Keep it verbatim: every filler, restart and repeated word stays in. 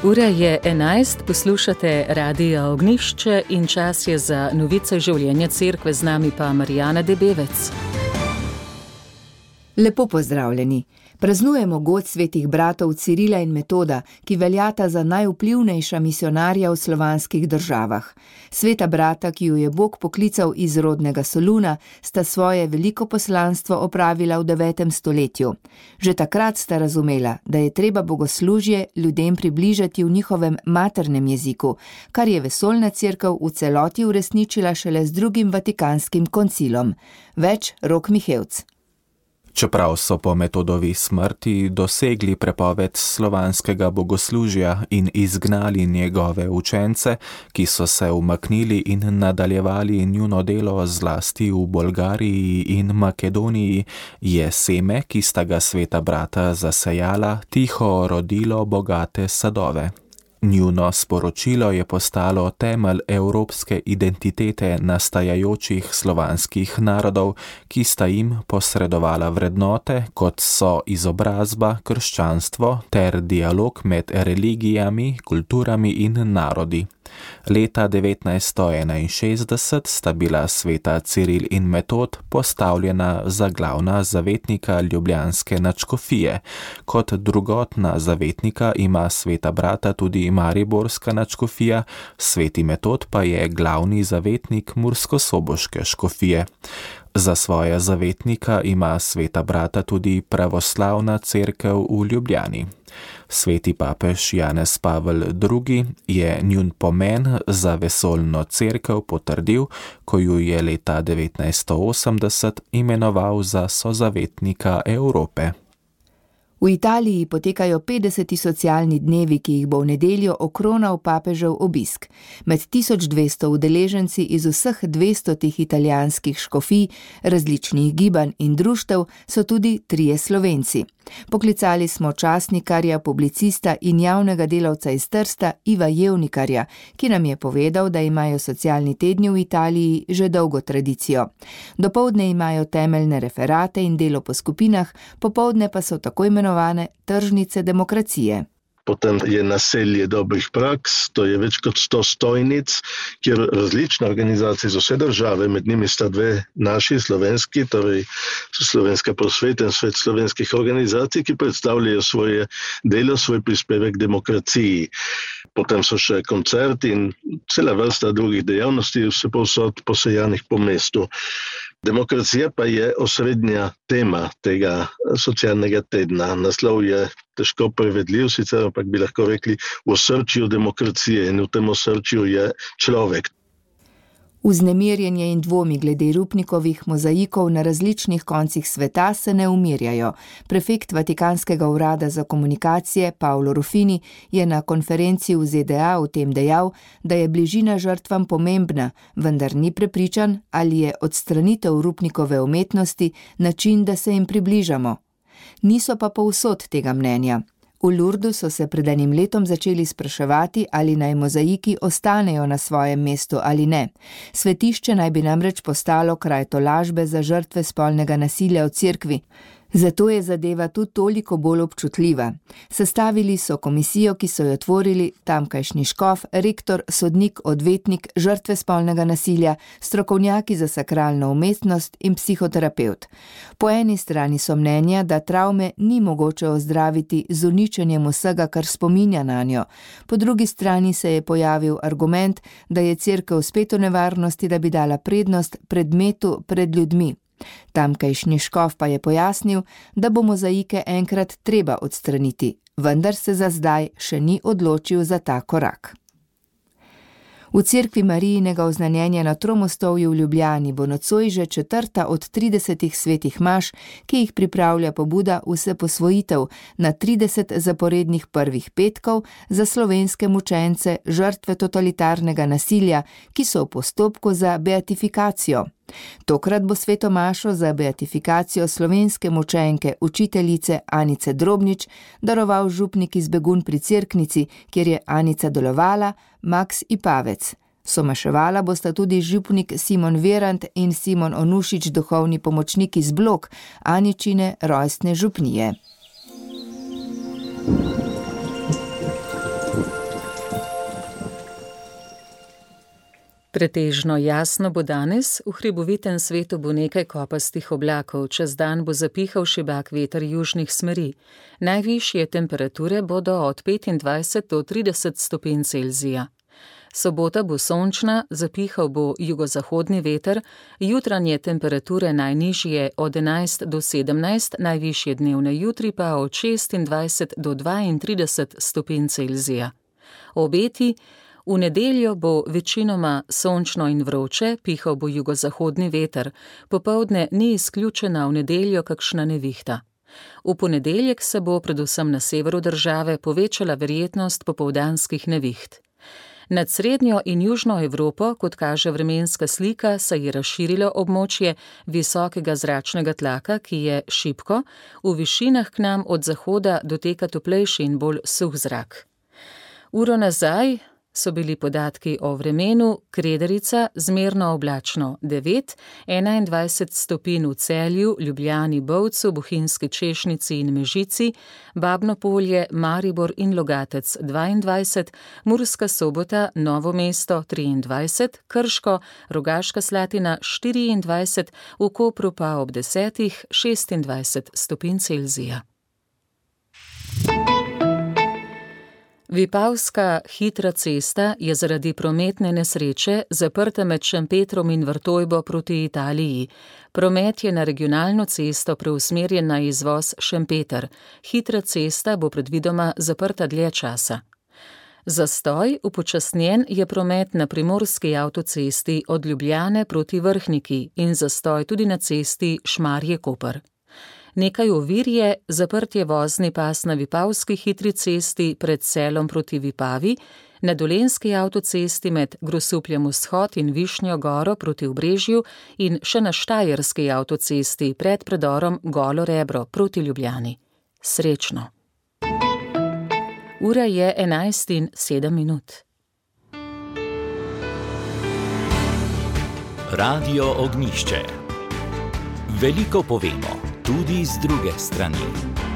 Ura je enajst, poslušate Radio Ognjišče in čas je za novice življenja cerkve, z nami pa Marijana Debevec. Lepo pozdravljeni. Praznujemo god svetih bratov Cirila in Metoda, ki veljata za najvplivnejša misionarja v slovanskih državah. Sveta brata, ki ju je Bog poklical iz rodnega Soluna, sta svoje veliko poslanstvo opravila v devetem stoletju. Že takrat sta razumela, da je treba bogoslužje ljudem približati v njihovem maternem jeziku, kar je vesoljna cerkev v celoti uresničila šele z drugim Vatikanskim koncilom. Več Rok Mihevc. Čeprav so po Metodovi smrti dosegli prepoved slovanskega bogoslužja in izgnali njegove učence, ki so se umaknili in nadaljevali njuno delo zlasti v Bolgariji in Makedoniji, je seme, ki sta ga sveta brata zasejala, tiho rodilo bogate sadove. Njuno sporočilo je postalo temelj evropske identitete nastajajočih slovanskih narodov, ki sta jim posredovala vrednote, kot so izobrazba, krščanstvo ter dialog med religijami, kulturami in narodi. Leta devetnajststo enainšestdeset sta bila sveta Ciril in Metod postavljena za glavna zavetnika ljubljanske nadškofije. Kot drugotna zavetnika ima sveta brata tudi mariborska nadškofija, sveti Metod pa je glavni zavetnik murskosoboške škofije. Za svoja zavetnika ima sveta brata tudi pravoslavna cerkev v Ljubljani. Sveti papež Janez Pavel drugi je njun pomen za vesoljno cerkev potrdil, ko ju je leta devetnajststo osemdeset imenoval za sozavetnika Evrope. V Italiji potekajo petdeseti socialni dnevi, ki jih bo v nedeljo okronal papežev obisk. Med tisoč dvesto udeleženci iz vseh dvestotih italijanskih škofij, različnih gibanj in društev so tudi trije Slovenci. Poklicali smo časnikarja, publicista in javnega delavca iz Trsta Iva Jevnikarja, ki nam je povedal, da imajo socialni tedni v Italiji že dolgo tradicijo. Dopoldne imajo temeljne referate in delo po skupinah, popoldne pa so tako imenovane tržnice demokracije. Potem je naselje dobrih praks, to je več kot sto stojnic, kjer različne organizacije z vse države, med njimi sta dve naši slovenski, torej Slovenska prosveta in Svet slovenskih organizacij, ki predstavljajo svoje delo, svoj prispevek demokraciji. Potem so še koncerti in cela vrsta drugih dejavnosti, vse povsod posejanih po mestu. Demokracija pa je osrednja tema tega socialnega tedna. Naslov je težko prevedljiv, sicer ampak bi lahko rekli v osrčju demokracije in v tem osrčju je človek. Vznemirjenje in dvomi glede Rupnikovih mozaikov na različnih koncih sveta se ne umirjajo. Prefekt Vatikanskega urada za komunikacije Paolo Rufini je na konferenci v Z D A o tem dejal, da je bližina žrtvam pomembna, vendar ni prepričan, ali je odstranitev Rupnikove umetnosti način, da se jim približamo. Niso pa povsod tega mnenja. V Lurdu so se pred enim letom začeli spraševati, ali naj mozaiki ostanejo na svojem mestu ali ne. Svetišče naj bi namreč postalo kraj tolažbe za žrtve spolnega nasilja v cerkvi. Zato je zadeva tudi toliko bolj občutljiva. Sestavili so komisijo, ki so jo tvorili tamkajšnji škof, rektor, sodnik, odvetnik, žrtve spolnega nasilja, strokovnjaki za sakralno umetnost in psihoterapevt. Po eni strani so mnenja, da travme ni mogoče ozdraviti z uničenjem vsega, kar spominja nanjo. Po drugi strani se je pojavil argument, da je cerkev spet v nevarnosti, da bi dala prednost predmetu pred ljudmi. Tamkajšnji škof pa je pojasnil, da bo mozaike enkrat treba odstraniti, vendar se za zdaj še ni odločil za ta korak. V cerkvi Marijinega oznanjenja na Tromostovju v Ljubljani bo nocoj že četrta od tridesetih svetih maš, ki jih pripravlja pobuda Vseposvojitev na trideset zaporednih prvih petkov za slovenske mučence, žrtve totalitarnega nasilja, ki so v postopku za beatifikacijo. Tokrat bo sveto mašo za beatifikacijo slovenske mučenke, učiteljice Anice Drobnič, daroval župnik iz Begunj pri Cerknici, kjer je Anica delovala, Maks Ipavec. Somaševala bosta tudi župnik Simon Verant in Simon Onušič, duhovni pomočnik iz Blok, Aničine rojstne župnije. Pretežno jasno bo danes, v hribovitem svetu bo nekaj kopastih oblakov, čez dan bo zapihal šibak veter južnih smeri. Najvišje temperature bodo od petindvajset do trideset stopinj Celzija. Sobota bo sončna, zapihal bo jugozahodni veter, jutranje temperature najnižje od enajst do sedemnajst, najvišje dnevne jutri pa od šestindvajset do dvaintrideset stopinj Celzija. Obeti: v nedeljo bo večinoma sončno in vroče, pihal bo jugozahodni veter, popoldne ni izključena v nedeljo kakšna nevihta. V ponedeljek se bo predvsem na severu države povečala verjetnost popoldanskih neviht. Nad srednjo in južno Evropo, kot kaže vremenska slika, se je razširilo območje visokega zračnega tlaka, ki je šibko, v višinah k nam od zahoda doteka toplejši in bolj suh zrak. Uro nazaj so bili podatki o vremenu: Krederica zmerno oblačno devet, enaindvajset stopinj v Celju, Ljubljani, Bovcu, Bohinjski Češnici in Mežici, Babno Polje, Maribor in Logatec dvaindvajset, Murska Sobota, Novo mesto triindvajset, Krško, Rogaška Slatina štiriindvajset, v Kopru pa ob desetih šestindvajset stopinj Celzija. Vipavska hitra cesta je zaradi prometne nesreče zaprta med Šempetrom in Vrtojbo proti Italiji. Promet je na regionalno cesto preusmerjen na izvoz Šempeter. Hitra cesta bo predvidoma zaprta dlje časa. Zastoj upočasnjen je promet na primorski avtocesti od Ljubljane proti Vrhniki in zastoj tudi na cesti Šmarje-Koper. Nekaj ovir je zaprtje vozni pas na Vipavski hitri cesti pred Selom proti Vipavi, na Dolenjski avtocesti med Grosupljem vzhod in Višnjo Goro proti Obrežju in še na Štajerski avtocesti pred predorom Golo Rebro proti Ljubljani. Srečno! Ura je enajst in sedem minut. Radio Ognjišče. Veliko povemo, tudi z druge strani.